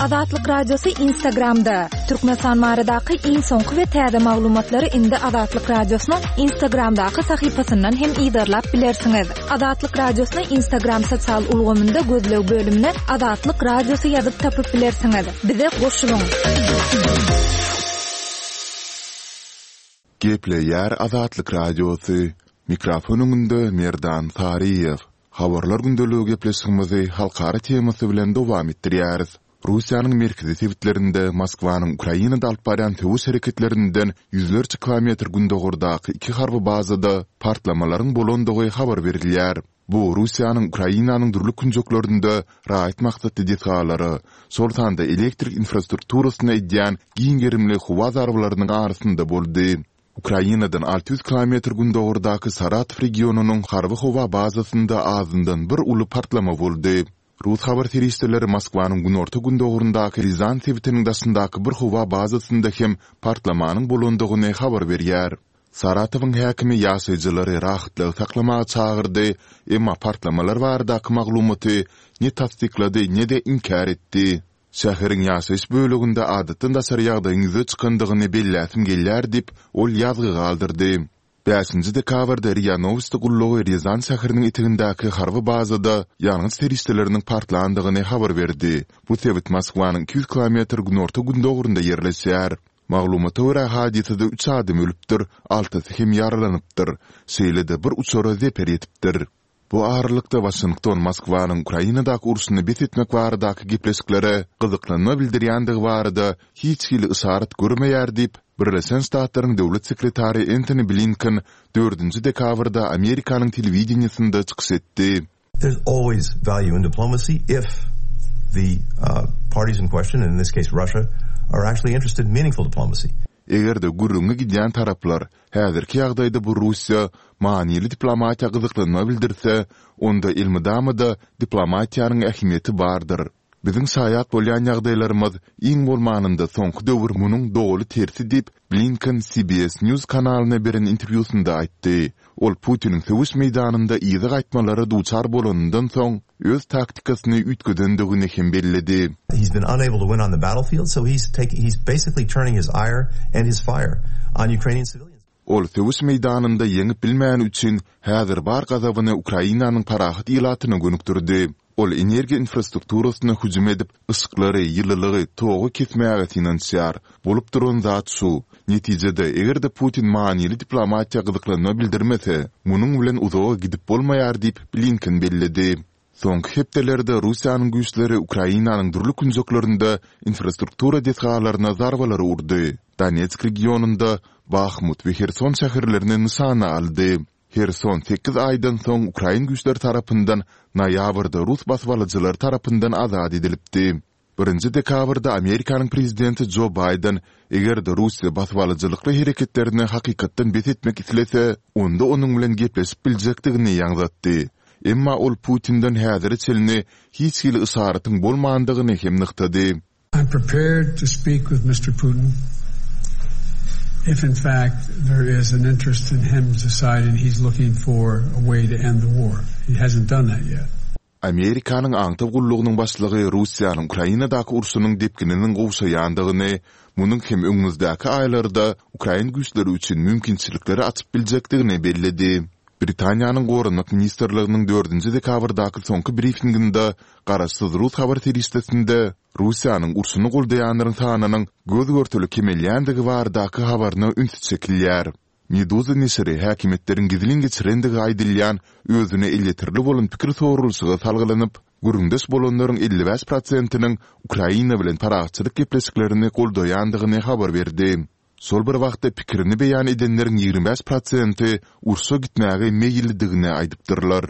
Azatlyk Radiosy Instagramda. Türkmenistan baradaky iň soňky we täze maglumatlary indi Azatlyk Radiosynyň Instagramdaky sahypasyndan hem yzarlap bilersiňiz. Azatlyk Radiosyny Instagram sosial ulgamynda gözleg bölümine Azatlyk Radiosy ýazyp tapyp bilersiňiz. Bize goşulyň! Gepleýär Azatlyk Radiosy, Mikrofon öňünde Merdan Saryýew. Habarlar gündeligi gepleşigimizi halkara temasy bilen dowam etdirýäris. Russiýanyň merkezi sebitlerinde Moskwanyň Ukrainada alyp barýan söweş hereketlerinden ýüzlerçe kilometr gündogardaky iki harby bazada partlamalaryň bolandygy habar berilýär. Bu Russiýanyň Ukrainanyň dürli künjeklerinde raýat maksatly desgalara, şol sanda elektrik infrastrukturasyna edýän giň gerimli howa zarbalarynyň arasynda boldy. Ukrainadan 600 kilometr gündogardaky Saratow regionynyň harby howa bazasynda azyndan bir uly partlama boldy. Rus habar serişdeleri Moskwanyň günorta-gündogaryndaky Rýazan sebitiniň daşyndaky bir howa bazasynda hem partlamanyň bolandygyny habar berýär. Saratowyň häkimi ýaşaýjylary rahatlygy saklamaga çagyrdy, emma partlamalar baradaky maglumaty ne tassyklady, ne-de inkär etdi. Şäheriň ýaşaýyş böleginde adatdan daşary ýagdaýyň ýüze çykandygyny belläsim gelýär diýip, ol ýazgy galdyrdy. Bäşinji dekabrda RIA Nowosti gullugy Rýazan şäheriniň etegindäki harby bazada ýangyç serişdeleriniň partlandygyny habar berdi. Bu sebit Moskwanyň 200 kilometr günorta-gündogarynda ýerleşýär. Maglumata görä, hadysada üç adam ölüpdir, altysy hem ýaralanypdyr. Şeýle-de bir uçara zeper ýetipdir. Bu aralykda, Waşington Moskwanyň Ukrainadaky urşuny bes etmek baradaky gepleşiklere gyzyklanma bildirýändigi barada hiç hili yşarat görmeýär diýip, Birleşen Ştatlaryň döwlet sekretary Entoni Blinken dördünji dekabrda Amerikanyň telewideniýesinde çykyş etdi. There's always value in diplomacy if the parties in question, and in this case Russia, are actually interested in meaningful diplomacy. Eger-de gürrüňi gidýän taraplar, häzirki ýagdaýda bu Russiýa, manyly diplomatiýa gyzyklanma bildirse, onda elmydama-da diplomatiýanyň ähmiýeti bardyr. Biziň şaýat bolýan ýagdaýlarymyz, iň bolmanynda soňky döwür munuň doly tersi diýip, Blinken CBS News kanalyna beren interwýusynda aýtdy. Ol Putiniň söweş meýdanynda yza gaýtmalara duçar bolanyndan soň, öz taktikasyny üýtgedendigini hem belledi. He's been unable to win on the battlefield, so he's taking, he's basically turning his ire and his fire on Ukrainian civilians. Ol söweş meýdanynda ýeňip bilmäni üçin, häzir bar gazabyny Ukrainanyň parahat ilatyna gönükdirdi. Ol energiýa infrastrukturasyna hüjüm edip, yşyklary, ýylylygy, togy kesmäge synanyşýar. Bolup duran zat şu. Netijede, eger-de Putin manyly diplomatiýa gyzyklanma bildirmese, munuň bilen uzaga gidip bolmaýar diýip, Blinken belledi. Soňky hepdelerde Russiýanyň güýçleri Ukrainanyň dürli künjeklerinde infrastruktura desgalaryna zarbalary urdy. Donetsk regionynda Bahmut we Herson şäherlerini nyşana aldy. Herson sekiz aýdan soň ukrain güýçleri tarapyndan noýabrda rus basybalyjylary tarapyndan azat edilipdi. Birinji dekabrda Amerikanyň prezidenti Jo Baýden, eger-de Russiýa basybalyjylykly hereketlerini hakykatdan bes etmek islese, onda onuň bilen gepleşip biljekdigini ýaňzatdy. Emma ol Putinden häzire çenli hiç hili yşaratyň bolmandygyny hem nygtady. I'm prepared to speak with Mister Putin if in fact there is an interest in him deciding he's looking for a way to end the war. He hasn't done that yet. Amerikanyň aňtaw gullugynyň başlygy Russiýanyň Ukrainadaky urşunyň depgininiň gowşaýandygyny, munuň hem öňümizdäki aýlarda ukrain güýçleri üçin mümkinçilikleri açyp biljekdigini belledi. Britaniýanyň Goranmak ministrliginiň dördünji dekabrdaky soňky brifinginde garaşsyz rus habar serişdesinde Russiýanyň urşuny goldaýanlaryň sanynyň göz-görtele kemelýändigi baradaky habaryna üns çekilýär. Meduza neşiri häkimiýetleriň gizlin geçirendigi aýdylýan özüne elýeterli bolan pikir soralyşyga salgylanyp, gürrüňdeş bolanlaryň 55 prosentiniň Ukraina bilen parahatçylyk gepleşiklerini goldaýandygyny habar berdi. Şol bir wagtda pikirini beýan edenleriň 25 prosenti urşa gitmäge meýillidigini aýdypdyrlar.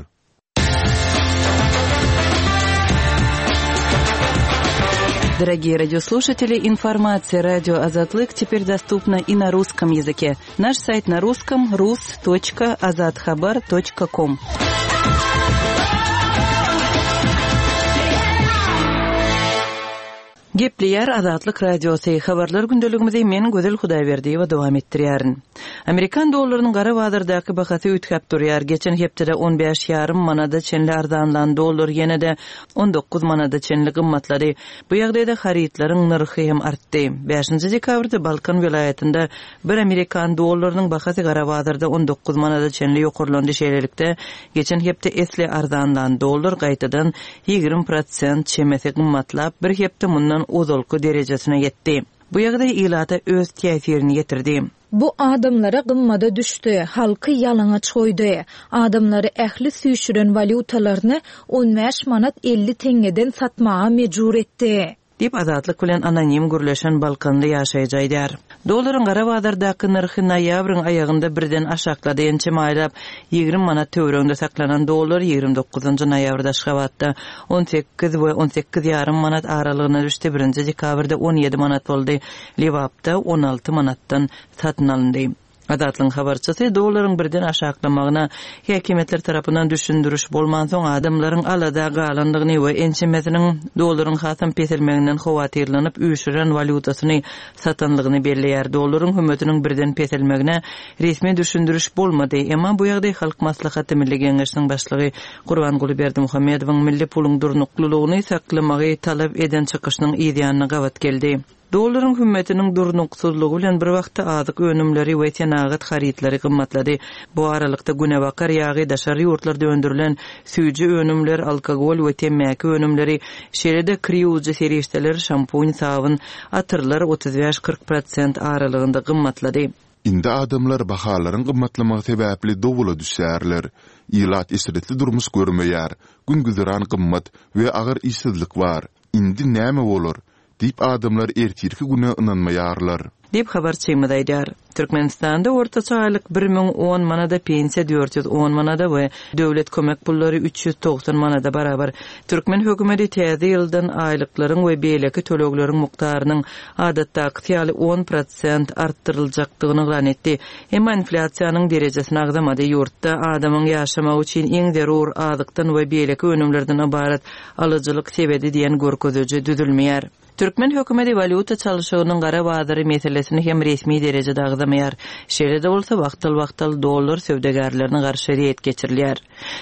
Дорогие радиослушатели, информация радио Азатлык теперь доступна и на русском языке. Наш сайт на русском rus.azathabar.com. Gepleýär Azatlyk Radiosy, Habarlar gündeligimizi men Gözel Hudaýberdiýewa dowam etdirýärin. Amerikan dollarynyň gara bazardaky bahasy üýtgäp durýar. Geçen hepdede on bäş ýarym manada çenli arzanlan dollar ýene-de 19 manada çenli gymmatlady. Bu ýagdaýda harytlaryň nyrhy hem artdy. Bäşinji dekabrda Balkan welaýatynda bir amerikan dollarynyň bahasy gara bazarda 19 manada çenli ýokarlandy. Şeýlelikde, geçen hepde esli arzanlan dollar gaýtadan 20 prosent çemesi gymmatlap, bir hepde mundan ozalky derejesine ýetdi. Bu ýagdaý ilata öz täsirini ýetirdi. Bu adamlara gymmada düşdi, halky ýalaňaç goýdy. Adamlary ähli süýşüren walýutalaryny 15 manat 50 teňňeden satmaga mejbur etdi. Diýip, Azatlyk bilen anonim gürleşen balkanly ýaşaýjy aýdýar. Dollaryň gara bazardaky nyrhy noýabryň aýagynda birden aşaklady, ençeme aýlap 20 manat töwereginde saklanan dollar 29-njy noýabrda Aşgabatda 18 we 18 ýarym manat aralygyna düşdi, birinji dekabrda 17 manat boldy, Lebapda 16 manatdan satyn alyndy. Azatlygyň habarçysy dollaryň birden aşaklamagyna häkimiýetler tarapyndan düşündiriş bolmansoň, adamlaryň alada galandygyny we ençemesiniň dollaryň hasam peselmeginden howatyrlanyp, üýşüren walýutasyny satandygyny belleýär. Dollaryň hümmetiniň birden peselmegine resmi düşündiriş bolmady. Emma bu ýagdaý Halk Maslahaty Milli Geňeşiniň başlygy Gurbanguly Berdimuhamedowyň milli puluň durnuklylygyny saklamagy talap eden çykyşynyň yzýanyna gabat geldi. Dollaryň hümmetiniň durnuksyzlygy bilen bir wagtda azyk önümleri we senagat harytlary gymmatlady. Bu aralykda günebakar ýagy, daşary ýurtlarda öndürilen süýji önümler, alkogol we temmäki önümleri, şeýle-de kir ýuwujy serişdeler, şampun, sabyn, atyrlar 35-40 prosent aralygynda gymmatlady. Indi adamlar bahalaryň gymmatlamagy sebäpli dowula düşýärler. Ilat eşretli durmuş görmeýär, gün-güzeran gymmat we agyr işsizlik bar. Indi näme bolar? Diýip adamlar ertirki güne ynanmaýarlar. Diýip, habarçymyz aýdýar. Türkmenistanda ortaça aýlyk 1010 manada, pensiýa 410 manada we döwlet kömek pullary 390 manada barabar. Türkmen hökümeti täze ýyldan aýlyklaryň we beýleki tölegleriň mukdarynyň adatdakysy ýaly on prosent artdyryljakdygyny yglan etdi. Emma inflýasiýanyň derejesini agzamady. Ýurtda adamyň ýaşamagy üçin iň zerur azykdan we beýleki önümlerden ybarat alyjylyk sebedi diýen görkeziji düzülmeýär. Türkmen hökümeti walýuta çalşygynyň gara bazary meselesini hem resmi derejede agzamaýar. Şeýle-de bolsa, wagtal-wagtal dollar söwdagärlerine garşy reýd geçirilýär.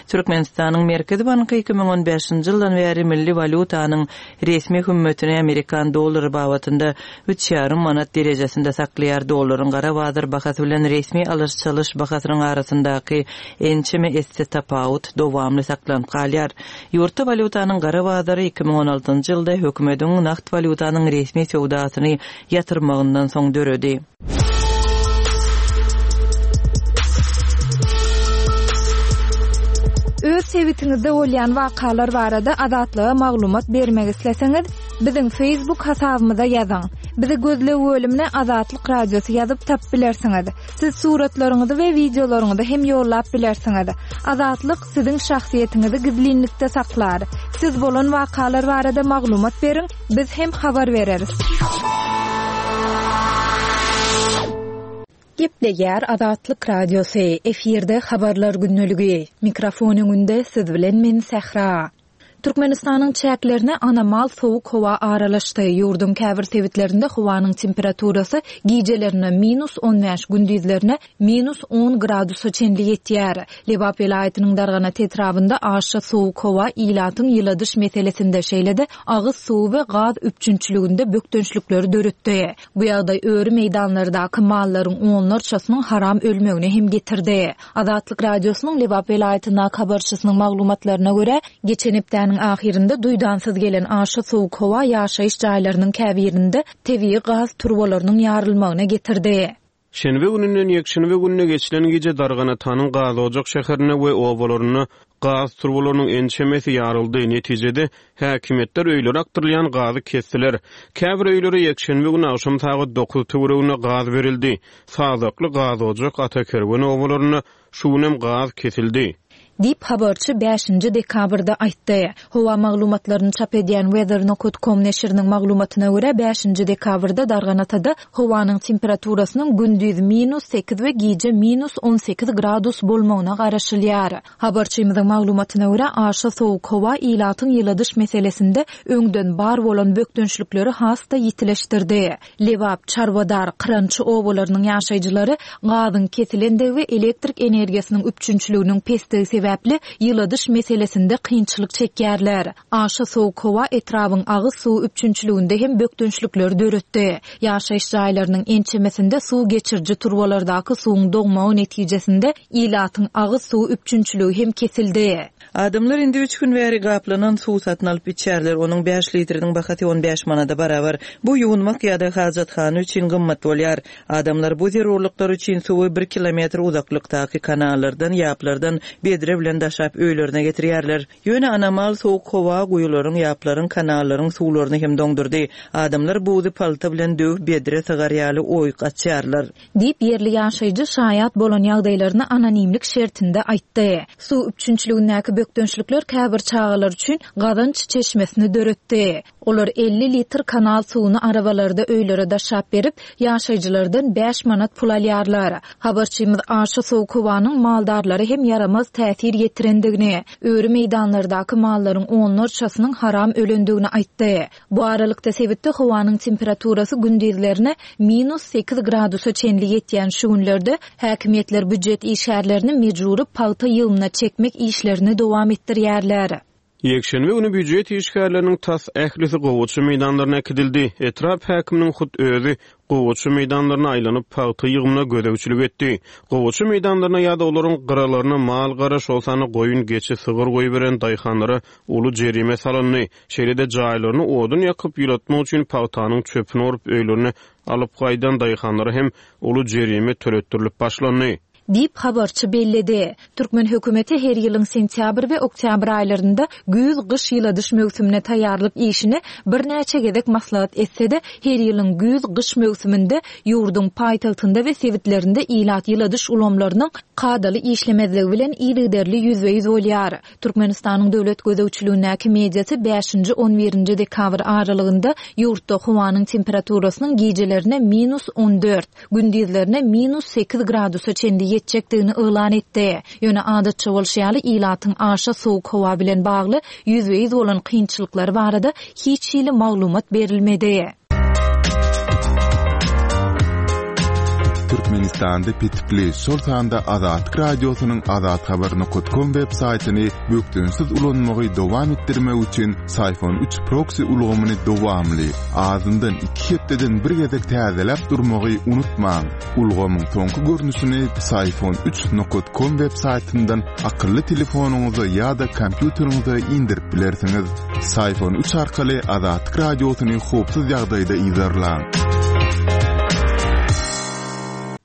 Türkmenistanyň Merkezi banky 2015-nji ýyldan bäri milli walýutanyň resmi hümmetini amerikan dollary babatynda üç ýarym manat derejesinde saklaýar, dollaryň gara bazar bahasy bilen resmi alyş-çalyş bahasynyň arasyndaky ençeme esse tapawut dowamly saklanyp galýar. Ýurtda walýutanyň gara bazary 2016-njy ýylda hökümediň nagt walýutanyň resmi söwdasyny ýatyrmagyndan soň döredi. Öz sebitiňizde bolýan wakalar barada Azatlyga maglumat bermek isleseňiz, biziň Facebook hasabymyza ýazyň. Bizi gözleg bölümine Azatlyk Radiosy ýazyp tapyp bilersiňiz. Siz suratlaryňyzy we wideolaryňyzy hem ýollap bilersiňiz. Azatlyk siziň şahsyýetiňizi gizlinlikde saklar. Siz bolan wakalar barada maglumat beriň, biz hem habar bereris. Gepleýär Azatlyk Radiosy, efirde Habarlar gündeligi. Mikrofon öňünde siz bilen men Sähra. Türkmenistanyň çäklerine anomal sowuk howa aralaşdy. Ýurduň käbir sebitlerinde howanyň temperaturasy gijelerine minus 15, gündizlerine minus 10 gradusa çenli ýetýär. Lebap welaýatynyň Darganat etrabynda aşa sowuk howa ilatyň ýyladyş meselesinde, şeýle-de agyz suwy we gaz üpjünçiliginde bökdençlikleri döretdi. Bu ýagdaý öri meýdanlardaky mallaryň onlarçasynyň haram ölmegine hem getirdi. Azatlyk Radiosynyň Lebap welaýatyndaky habarçysynyň maglumatlaryna görä, geçen hepdäniň ahyrynda duýdansyz gelen aşa sowuk howa ýaşaýyş jaýlarynyň käbirinde tebigy gaz turbalarynyň ýarylmagyna getirdi. Şenbe gününden ýekşenbe gününe geçilen gije Darganatanyň Gazojak şäherinde we obalarynda gaz turbalarynyň ençemesi ýaryldy, netijede, häkimiýetler öýlere akdyrylýan gazy kesdiler. Käbir öýlere ýekşenbe güni agşam sagat dokuz töwereginde gaz berildi. Sazakly, Gazojak, Atakerwen obalarynda şu günem gaz kesildi. Diýip, habarçy bäşinji dekabrda aýtdy. Howa maglumatlaryny çap edýän Weather nokat com neşiriniň maglumatyna görä, bäşinji dekabrda Darganatada howanyň temperaturasynyň gündiz minus sekiz we gije minus 18 gradus bolmagyna garaşylýar. Habarçymyzyň maglumatyna görä, aşa sowuk howa ilatyň ýyladyş meselesinde öňden bar bolan bökdençlikleri has-da ýitileşdirdi. Lebap, Çarwadar, Kyrançy obalarynyň ýaşaýjylary gazyň kesilendigi we elektrik energiýasynyň üpjünçiliginiň pesdigi sebäpli ýyladyş meselesinde kynçylyk çekýärler. Aşa sowuk howa etrabyň agyz suwy üpjünçiliginde hem bökdençlikleri döretdi. Ýaşaýyş jaýlarynyň ençemesinde suw geçiriji turbalardaky suwuň doňmagy netijesinde ilatyň agyz suwy üpjünçiligi hem kesildi. Adamlar indi üç gün bäri gaplanan suw satyn alyp içýärler, onuň bäş litriniň bahasy on bäş manada barabar. Bu ýuwunmak ýa-da hajathana üçin gymmat bolýar. Adamlar bu zerurlyklar üçin suwy bir kilometr uzaklykdaky kanallardan, ýaplardan bedre bilen daşap öýlerine getirýärler. Ýöne anomal sowuk howa guýularyň, ýaplaryň, kanallaryň suwlaryny hem doňdurdy. Adamlar buzy palta bilen döwüp bedre sygar ýaly oýuk açýarlar. Diýip, ýerli ýaşaýjy şaýat bolan ýagdaýlaryny anonimlik şertinde aýtdy. Suw üpjünçiligindäki bökdençlikler käbir çagalar üçin gazanç çeşmesini döretdi. Olar 50 litr kanal suwuny arabalarda öýlere daşap berip, ýaşaýjylardan bäş manat pul alýarlar. Habarçymyz aşa sowuk howanyň maldarlara hem ýaramaz täsir ýetirendigini, öri meýdanlardaky mallaryň onlarçasynyň haram ölendigini aýtdy. Bu aralykda, sebitde howanyň temperaturasy gündizlerine minus sekiz gradusa çenli ýetýän şu günlerde häkimiýetler býujet işgärlerini mejbury pagta ýygymyna çekmek işlerini dowam etdirýärler. Ýekşenbe güni býujet işgärleriniň tas ählisi gowaça meýdanlaryna äkidildi. Etrap häkiminiň hut özi gowaça meýdanlaryna aýlanyp, pagta ýygymyna gözegçilik etdi. Gowaça meýdanlaryna ýa-da olaryň gyralaryna mal-gara, şol sanda goýun, geçi, sygyr goýberen daýhanlara uly jerime salyndy. Şeýle-de jaýlaryny odun ýakyp ýylatmak üçin pagtanyň çöpüni orup öýlerine alyp gaýdan daýhanlara hem uly jerime töletdirilip başlandy. Diýip, habarçy belledi. Türkmen hökümeti her ýylyň sentýabr we oktýabr aýlarynda güýz-gyş ýyladyş möwsümine taýýarlyk işini birnäçe gezek maslahat etse-de, her ýylyň güýz-gyş möwsüminde ýurduň paýtagtynda we sebitlerinde ilat ýyladyş ulgamlarynyň kadaly işlemezligi bilen yzygiderli ýüzbe-ýüz bolýar. Türkmenistanyň döwlet gözegçiligindäki mediasy bäşinji, on birinji dekabr aralygynda ýurtda howanyň temperaturasynyň gijelerine minus on dört, gündizlerine minus sekiz gradusa çenli ýetjekdigini yglan etdi. Ýöne adatça bolşy ýaly, ilatyň aşa sowuk howa bilen bagly ýüzbe-ýüz bolan kynçylyklary barada hiç hili maglumat berilmedi. Türkmenistanda petikli, şol sanda Azatlyk Radiosynyň azathabar.com web saýtyny bökdençsiz ulanmagy dowam etdirmek üçin Syfon 3 proksi ulgamyny dowamly, azyndan iki hepdeden bir gezek täzeläp durmagy unutmaň. Ulgamyň soňky görnüşini Syfon 3 com web saýtyndan akylly telefonyňyza ýa-da kompýuteriňize indirip bilersiňiz. Syfon 3 arkaly Azatlyk Radiosyny howpsuz ýagdaýda yzarlaň.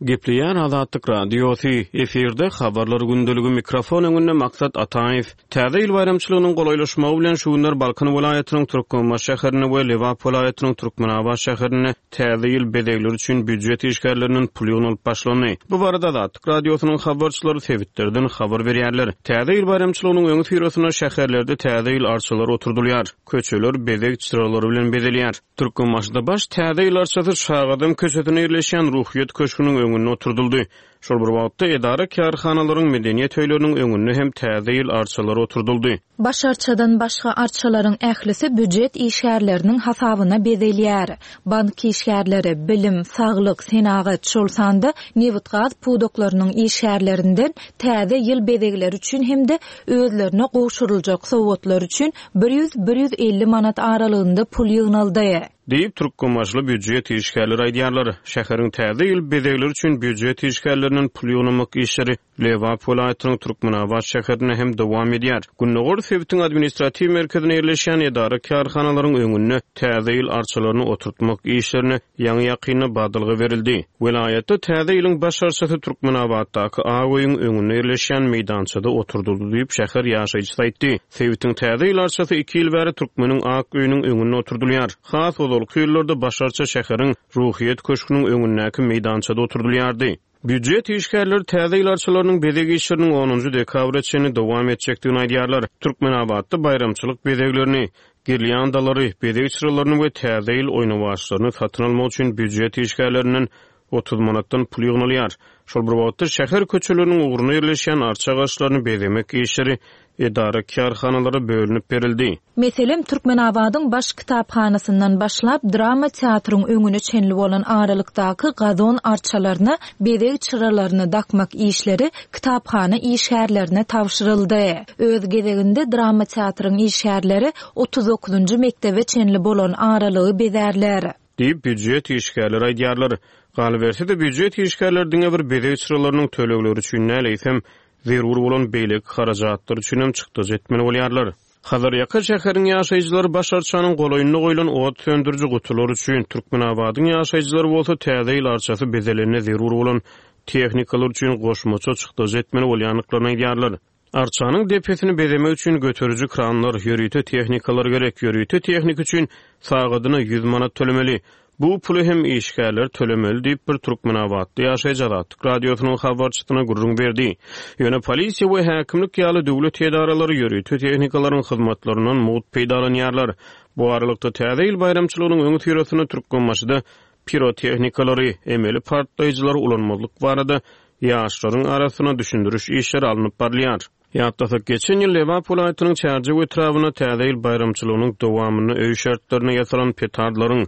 Gepleýän Azatlyk Radiosy, efirde Habarlar gündeligi mikrofon öňünde Maksat Ataýew. Täze ýyl baýramçylygynyň golaýlaşmagy bilen şu günler Balkan welaýatynyň Türkmenbaşy şäherinde we Lebap welaýatynyň Türkmenabat şäherinde Täze ýyl bezegleri üçin býujet işgärlerinden pul ýygnalyp başlandy. Bu barada Azatlyk Radiosynyň habarçylary sebitlerden habar berýärler. Täze ýyl baýramçylygynyň öňüsyrasynda şäherlerde Täze ýyl arçalary oturdylýar, köçeler bezeg çyralary bilen bezelýär. Türkmenbaşyda baş Täze ýyl arçasy Şagadam köçesinde ýerleşýän Ruhyýet köşgüniň öňünde oturdyldy. Şol bir wagtda, edara-kärhanalaryň, medeniýet öýleriniň öňünde hem Täze ýyl arçalary oturdyldy. Baş arçadan başga arçalaryň ählisi býujet işgärleriniň hasabyna bezelýär. Bank işgärleri, bilim, saglyk, senagat, şol sanda nebitgaz pudaklarynyň işgärlerinden täze ýyl bezegleri üçin hem-de özlerine gowşuryljak sowgatlar üçin bir ýüz-bir 150 manat aralygynda pul ýygnaldy. Diýip, türkmenbaşyly býujet işgärleri aýdýarlar. Şäheriň täze ýyl bezegleri üçin býujet işgärlerinden pul ýygnamak işleri Lebap welaýatynyň Türkmenabat şäherinde hem dowam edýär. Gündogar sebitiň administratiw merkezinde ýerleşýän edara-kärhanalaryň öňünde Täze ýyl arçalaryny oturtmak işlerine ýaňy-ýakynda badalga berildi. Welaýatda Täze ýylyň baş arçasy Türkmenabatdaky Ak öýüň öňünde ýerleşýän meýdançada oturdyldy diýip, şäher ýaşaýjysy aýtdy. Sebitiň Täze ýyl arçasy iki ýyl bäri Türkmeniň ak öýüniň öňünde oturdylýar. Has ozalky ýyllarda baş arça şäheriň Ruhyýet köşgüniň öňündäki meýdançada oturdylýardy. Býujet işgärleri täze ýyl arçalarynyň bezeg işleriniň onunjy dekabra çenli dowam etjekdigini aýdýarlar. Türkmenabatda baýramçylyk bezeglerini, girlýandalary, bezeg çyralaryny we täze ýyl oýnawaçlaryny satyn almak üçin býujet işgärlerinden 30 manatdan pul ýygnalýar. Şol bir wagtda, şäher köçeleriniň ugrunda ýerleşýän arça agaçlaryny bezemek işleri edara-kärhanalara bölünip berildi. Meselem, Türkmenabadyň Baş kitaphanasyndan başlap, drama teatryň öňüne çenli bolan aralykdaky gazon arçalaryna bezeg çyralaryny dakmak işleri kitaphana işgärlerine tabşyryldy. Öz gezeginde drama teatryň işgärleri 39-njy mekdebe çenli bolan aralygy bezärler. Diýip, býujet işgärleri aýdýarlar. Galyberse-de, býujet işgärleri diňe bir bezeg çyralarynyň tölegleri üçin däl, eýsem, zerur bolan beýleki harajatlar üçinem çykdajy etmeli bolýarlar. Hazarýaka şäheriň ýaşaýjylary baş arçanyň golaýynda goýlan ot söndüriji gutular üçin, Türkmenabadyň ýaşaýjylary bolsa Täze ýyl arçasy bezelende zerur bolan tehnikalar üçin goşmaça çykdajy etmeli bolýandyklaryny aýdýarlar. Arçanyň depesini bezemek üçin göteriji kranlar, ýörite tehnikalar gerek. Ýörite tehnika üçin sagadyna ýüz manat tölemeli. Bu puly hem işgärler tölemeli diýip, bir türkmenabatly ýaşaýjy Azatlyk Radiosynyň habarçysyna gürrüň berdi. Ýöne polisiýa we häkimlik ýaly döwlet edaralary ýörite tehnikalaryň hyzmatlaryndan mugt peýdalanýarlar. Bu aralykda, Täze ýyl baýramçylygynyň öňüsyrasynda Türkmenbaşyda pirotehnikalary, emeli partlaýjylary ulanmazlyk barada ýaşlaryň arasynda düşündiriş işleri alnyp barylýar. Ýatlasak, geçen ýyl Lebap welaýatynyň Çärjew etrabynda Täze ýyl baýramçylygynyň dowamynda öý şertlerinde ýasalan petardlaryň,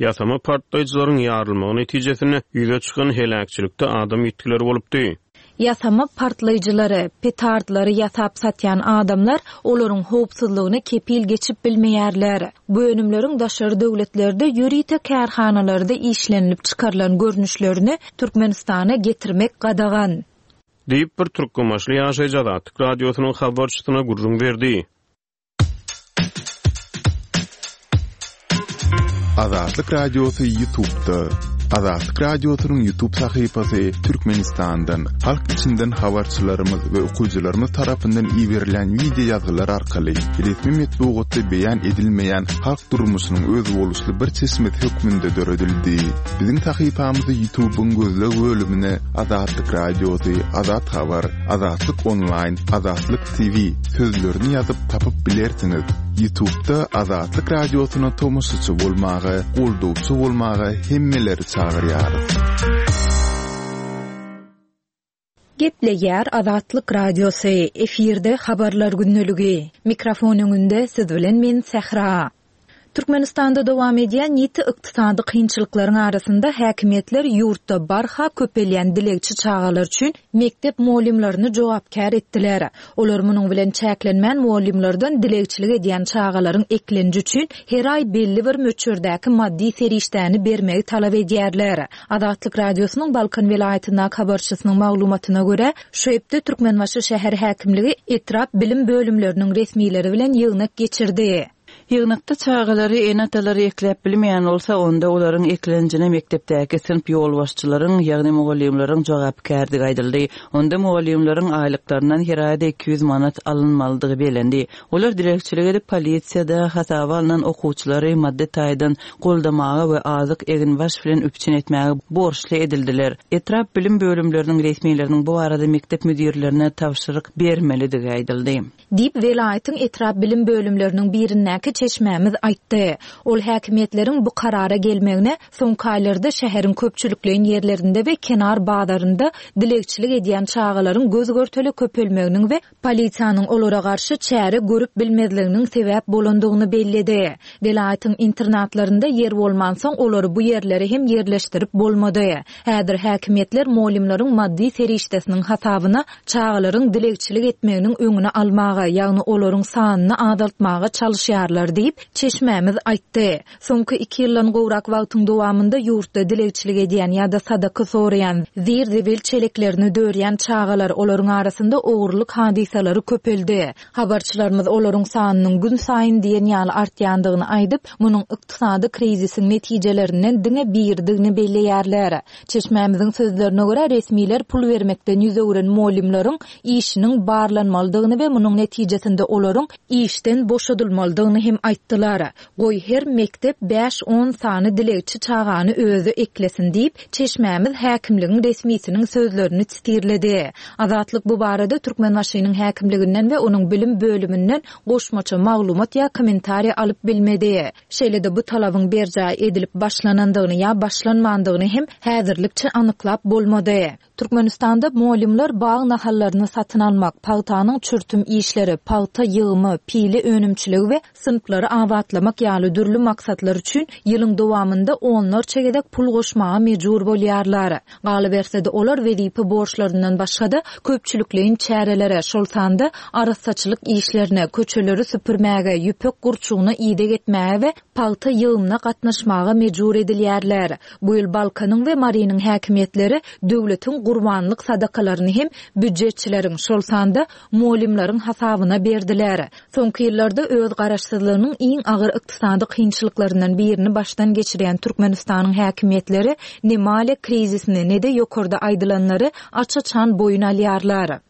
ýasama partlaýjylaryň ýarylmagy netijesinde ýüze çykan heläkçilikde adam ýitgileri bolupdy. Ýasama partlaýjylary, petardlary ýasap satýan adamlar olaryň howpsuzlygyna kepil geçip bilmeýärler. Bu önümleriň daşary döwletlerde ýörite kärhanalarda işlenilip çykarylan görnüşlerini Türkmenistana getirmek gadagan. Diýip, bir türkmenbaşyly ýaşaýjy Azatlyk Radiosynyň habarçysyna gürrüň berdi. Azatlyk Radiosy Ýutubda. Azatlyk Radiosynyň Ýutub sahypasy Türkmenistandan, halk içinden habarçylarymyz we okyjylarymyz tarapyndan iberilen wideo ýazgylar arkaly resmi metbugatda beýan edilmeýän halk durmuşynyň özboluşly bir çeşmesi hökmünde döredildi. Biziň sahypamyzy Ýutubyň gözleg bölümine Azatlyk Radiosy, Azat Habar, Azatlyk Onlaýn, Azatlyk TV sözlerini ýazyp tapyp bilersiňiz. Ýutubda Azatlyk Radiosyna tomaşaçy bolmaga, goldawçy bolmaga hemmeleri çagyrýarys. Gepleýär Azatlyk Radiosy, efirde Habarlar gündeligi. Mikrofon öňünde siz bilen men Sähra. Türkmenistanda dowam edýän ýiti ykdysady kynçylyklaryň arasynda häkimiýetler ýurtda barha köpelýän dilegçi çagalar üçin mekdep mugallymlaryny jogapkär etdiler. Olar munuň bilen çäklenmän mugallymlardan dilegçilik edýän çagalaryň eklenji üçin her aý belli bir möçberdäki maddy serişdäni bermegi talap edýärler. Azatlyk Radiosynyň Balkan welaýatyndaky habarçysynyň maglumatyna görä, şu hepde Türkmenbaşy şäher häkimligi etrap bilim bölümleriniň resmileri bilen ýygnak geçirdi. Ýygnakda çagalary ene-atalary ekläp bilmeýän bolsa, onda olaryň eklenjine mekdepdäki synp ýolbaşçylaryň, ýagny mugallymlaryň jogapkärdigi aýdyldy. Onda mugallymlaryň aýlyklaryndan her aýda 200 manat alynmalydygy bellendi. Olar dilegçilik edip, polisiýada hasaba alnan okuwçylary maddy taýdan goldamaga we azyk, eginbaş bilen üpjün etmäge borçly edildiler. Etrap bilim bölümleriniň resmileriniň bu barada mekdep müdirlerine tabşyryk bermelidigi aýdyldy. Diýip, welaýatyň etrap bilim bölümleriniň birindäki çeşmämiz aýtdy. Ol häkimiýetleriň bu karara gelmegine soňky aýlarda şäheriň köpçülikleýin ýerlerinde we kenar bazarynda dilegçilik edýän çagalaryň göz-görtele köpelmeginiň we Polisiýanyň olara garşy çäre görüp bilmezliginiň sebäp bolandygyny belledi. Welaýatyň internatlarynda ýer bolmansoň, olary bu ýerlere hem ýerleşdirip bolmady. Häzir häkimiýetler mugallymlaryň maddy serişdesiniň hasabyna çagalaryň dilegçilik etmeginiň öňüni almaga, ýagny olaryň sanyny azaltmaga çalyşýarlar diýip, çeşmämiz aýtdy. Soňky iki ýyldan gowrak wagtyň dowamynda ýurtda dilegçilik edýän ýa-da sadaka soraýan, zir-zibil çeleklerini dörýän çagalar, olaryň arasynda ogurlyk hadysalary köpeldi. Habarçylarymyz olaryň sanynyň günsaýyn diýen ýaly artýandygyny aýdyp, munuň ykdysady krizisiň netijelerinden diňe biridigini belleýärler. Çeşmämiziň sözlerine görä, resmiler pul bermekden ýüz öwren mugallymlaryň işiniň barlanmalydygyny we munuň netijesinde olaryň işden boşadylmalydygyny hem. hem aýtdylar. Goý, her mekdep bäş-on sany dilegçi çagany özi eklesin diýip, çeşmämiz häkimligiň resmisiniň sözlerini sitirledi. Azatlyk bu barada Türkmenbaşynyň häkimliginden we onuň bilim bölüminden goşmaça maglumat ýa kommentariý alyp bilmedi. Şeýle-de bu talabyň berjaý edilip başlanandygyny ýa başlanmandygyny hem häzirlikçe anyklap bolmady. Türkmenistanda mugallymlar bag nahallaryny satyn almak, pagtanyň çürtüm işleri, pagta ýygymy, pile önümçiligi we synplary abatlamak ýaly dürli maksatlar üçin ýylyň dowamynda onlarça gezek pul goşmaga mejbur bolýarlar. Galyberse-de, olar wezipe borçlaryndan başga-da, köpçülikleýin çärelere, şol sanda arassaçylyk işlerine, köçeleri süpürmäge, ýüpek gurçugyna ideg etmäge we pagta ýygymyna gatnaşmaga mejbur edilýärler. Bu ýyl Balkanyň we Marynyň häkimiýetleri döwletiň gurbanlyk sadakalaryny hem býujetçileriň, şol sanda mugallymlaryň hasabyna berdiler. Soňky ýyllarda öz garaşsyzlygynyň iň agyr ykdysady kynçylyklaryndan birini başdan geçirýän Türkmenistanyň häkimiýetleri ne maliýe krizisini, ne-de ýokarda aýdylanlary aç-açan boýun alýarlar.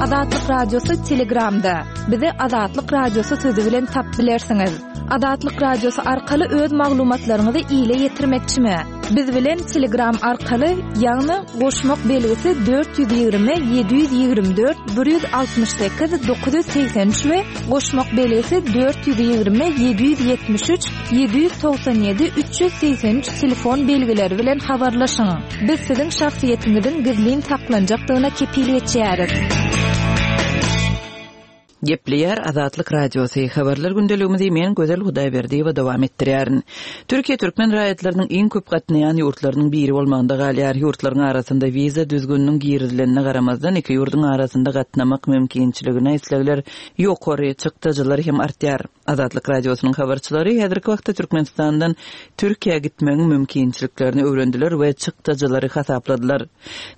Azatlyk Radiosy Telegramda. Bizi Azatlyk Radiosy sözi bilen tapyp bilersiňiz. Azatlyk Radiosy arkaly öz maglumatlaryňyzy ile ýetirmekçimi? Biz bilen Telegram arkaly, ýagny goşmak belgisi 420 724 168 983 we goşmak belgisi 420 773 797 383 telefon belgileri bilen habarlaşyň. Biz siziň şahsyýetiňiziň gizlin saklanjakdygyna kepil geçýäris. Gepleýär Azatlyk Radiosy, Habarlar gündeligimizi men Gözel Hudaýberdiýewa dowam etdirýärin. Türkiýe türkmen raýatlarynyň iň köp gatnaýan ýurtlarynyň biri bolmagynda galýar. Ýurtlaryň arasynda wiza düzgüniniň girizilenine garamazdan, iki ýurduň arasynda gatnamak mümkinçiligine islegler ýokary, çykdajylar hem artýar. Azatlyk Radiosynyň habarçylary häzirki wagtda Türkmenistandan Türkiýä gitmegiň mümkinçiliklerini öwrendiler we çykdajylary hasapladylar.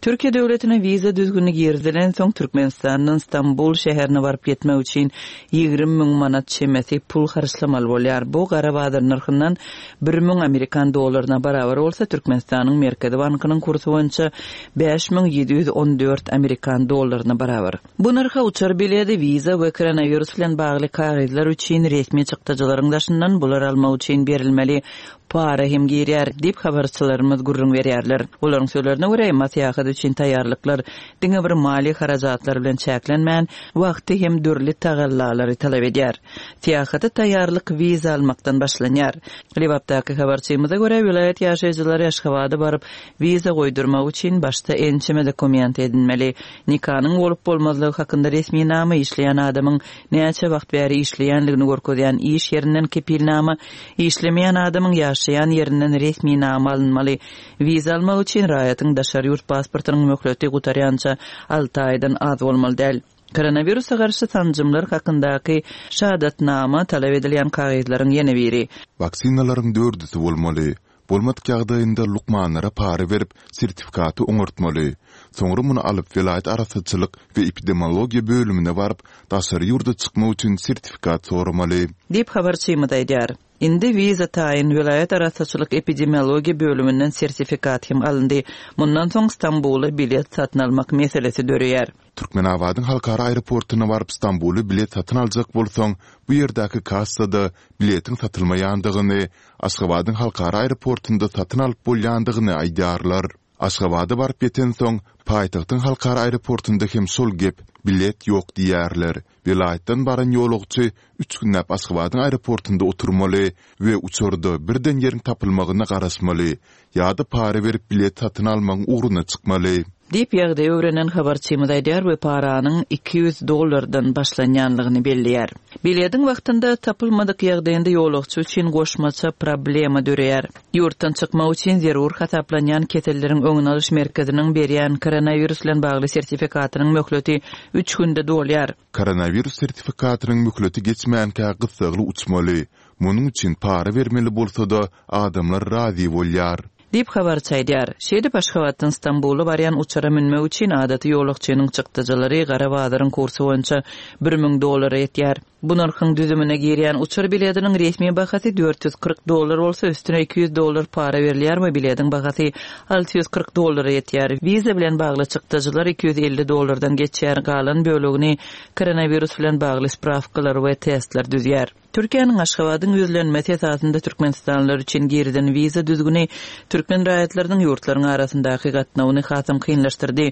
Türkiýe döwletine wiza düzgüni girizilensoň, Türkmenistandan Stambul şäherine baryp ýetmek üçin 20 müň manat çemesi pul harçlamaly bolýar. Bu gara bazar nyrhyndan bir müň amerikan dollaryna barabar bolsa, Türkmenistanyň Merkezi bankynyň kursy boýunça 5714 amerikan dollaryna barabar. Bu nyrha uçar biledi, wiza we koronawirus bilen bagly kagyzlar üçin resmi çykdajylaryň daşyndan bulary almak üçin berilmeli para hem girýär, diýip, habarçylarymyz gürrüň berýärler. Olaryň sözlerine görä, emma syýahat üçin taýýarlyklar diňe bir maliýe harajatlary bilen çäklenmän, wagty hem dürli tagallalary talap edýär. Syýahata taýýarlyk wiza almakdan başlanýar. Lebapdaky habarçymyza görä, welaýat ýaşaýjylary Aşgabada baryp, wiza goýdurmak üçin başda ençeme dokument edinmeli. Nikanyň bolup-bolmazlygy hakynda resminama, işleýän adamyň näçe wagt bäri işleýänligini görkezýän iş ýerinden kepilnama, işlemeýän adamyň ýaşaýan ýerinden resminama alynmaly. Wiza almak üçin raýatyň daşary ýurt pasportynyň möhleti gutarýança alty aýdan az bolmaly däl. Koronawirusa garşy sanjymlar hakyndaky şahadatnama talap edilýän kagyzlaryň ýene biri. Waksinalaryň dördüsi bolmaly. Bolmadyk ýagdaýynda lukmanlara para berip, sertifikaty oňartmaly. Soňra muny alyp, welaýat arassaçylyk we epidemiologiýa bölümine baryp, daşary ýurda çykmak üçin sertifikat soramaly. Diýip, habarçymyz aýdýar. Indi wiza taýyn, welaýat arassaçylyk epidemiologiýa bölüminden sertifikat hem alyndy. Mundan soň Stambula bilet satyn almak meselesi döreýär. Türkmenabadyň halkara aeroportuna baryp Stambula bilet satyn aljak bolsaň, bu ýerdäki kassada biletiň satylmaýandygyny, Aşgabadyň halkara aeroportunda satyn alyp bolýandygyny aýdýarlar. Aşgabada baryp ýetensoň, paýtagtyň halkara aeroportunda hem şol gep, bilet ýok diýýärler. Welaýatdan baran ýolagçy üç günläp Aşgabadyň aeroportunda oturmaly we uçarda birden ýeriň tapylmagyna garaşmaly ýa-da para berip bilet satyn almagyň ugruna çykmaly. Diýip, ýagdaýy öwrenen habarçymyz aýdýar we paranyň 200 dollardan başlanýanlygyny belleýär. Bilediň wagtynda tapylmadyk ýagdaýynda ýolagçy üçin goşmaça problema döreýär. Ýurtdan çykmak üçin zerur hasaplanýan keselleriň öňüni alyş merkeziniň berýän koronawirus bilen bagly sertifikatynyň möhleti üç günde dolýar. Koronawirus sertifikatynyň möhleti geçmänkä gyssagly uçmaly. Munuň üçin para bermeli bolsa-da, adamlar razy bolýar. Diýip, habarçy aýdýar. Şeýdip, Aşgabatdan Stambula barýan uçara münmek üçin adaty ýolagçynyň çykdajylary gara bazaryň kursy boýunça 1000 dollara ýetýär. Bu nyrhyň düzümine girýän uçar biletiniň resmi bahasy 440 dollar bolsa, üstüne 200 dollar para berilýär we biletiň bahasy 640 dollara ýetýär. Wiza bilen bagly çykdajylar 250 dollardan geçýär, galan bölegini koronawirus bilen bagly sprawkalar we testler düzýär. Türkiýäniň Aşgabadyň ýüzlenmesi esasynda türkmenistanlylar üçin girizen wiza düzgüni türkmen raýatlarynyň ýurtlaryň arasyndaky gatnawyny hasam kynlaşdyrdy.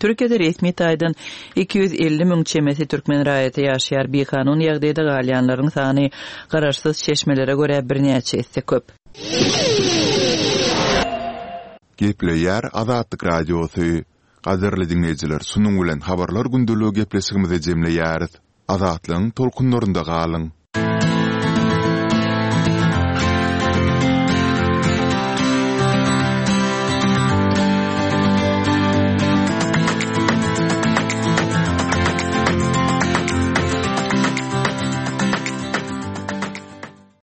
Türkiýede resmi taýdan 250 müň çemesi türkmen raýaty ýaşaýar, bikanun ýagdaýda galýanlaryň sany garaşsyz çeşmelere görä birnäçe esse köp. Gepleýär Azatlyk Radiosy. Gadyrly diňleýjiler şunuň bilen Habarlar gündeligi gepleşigimizi jemleýäris. Azatlygyň tolkunlarynda galyň!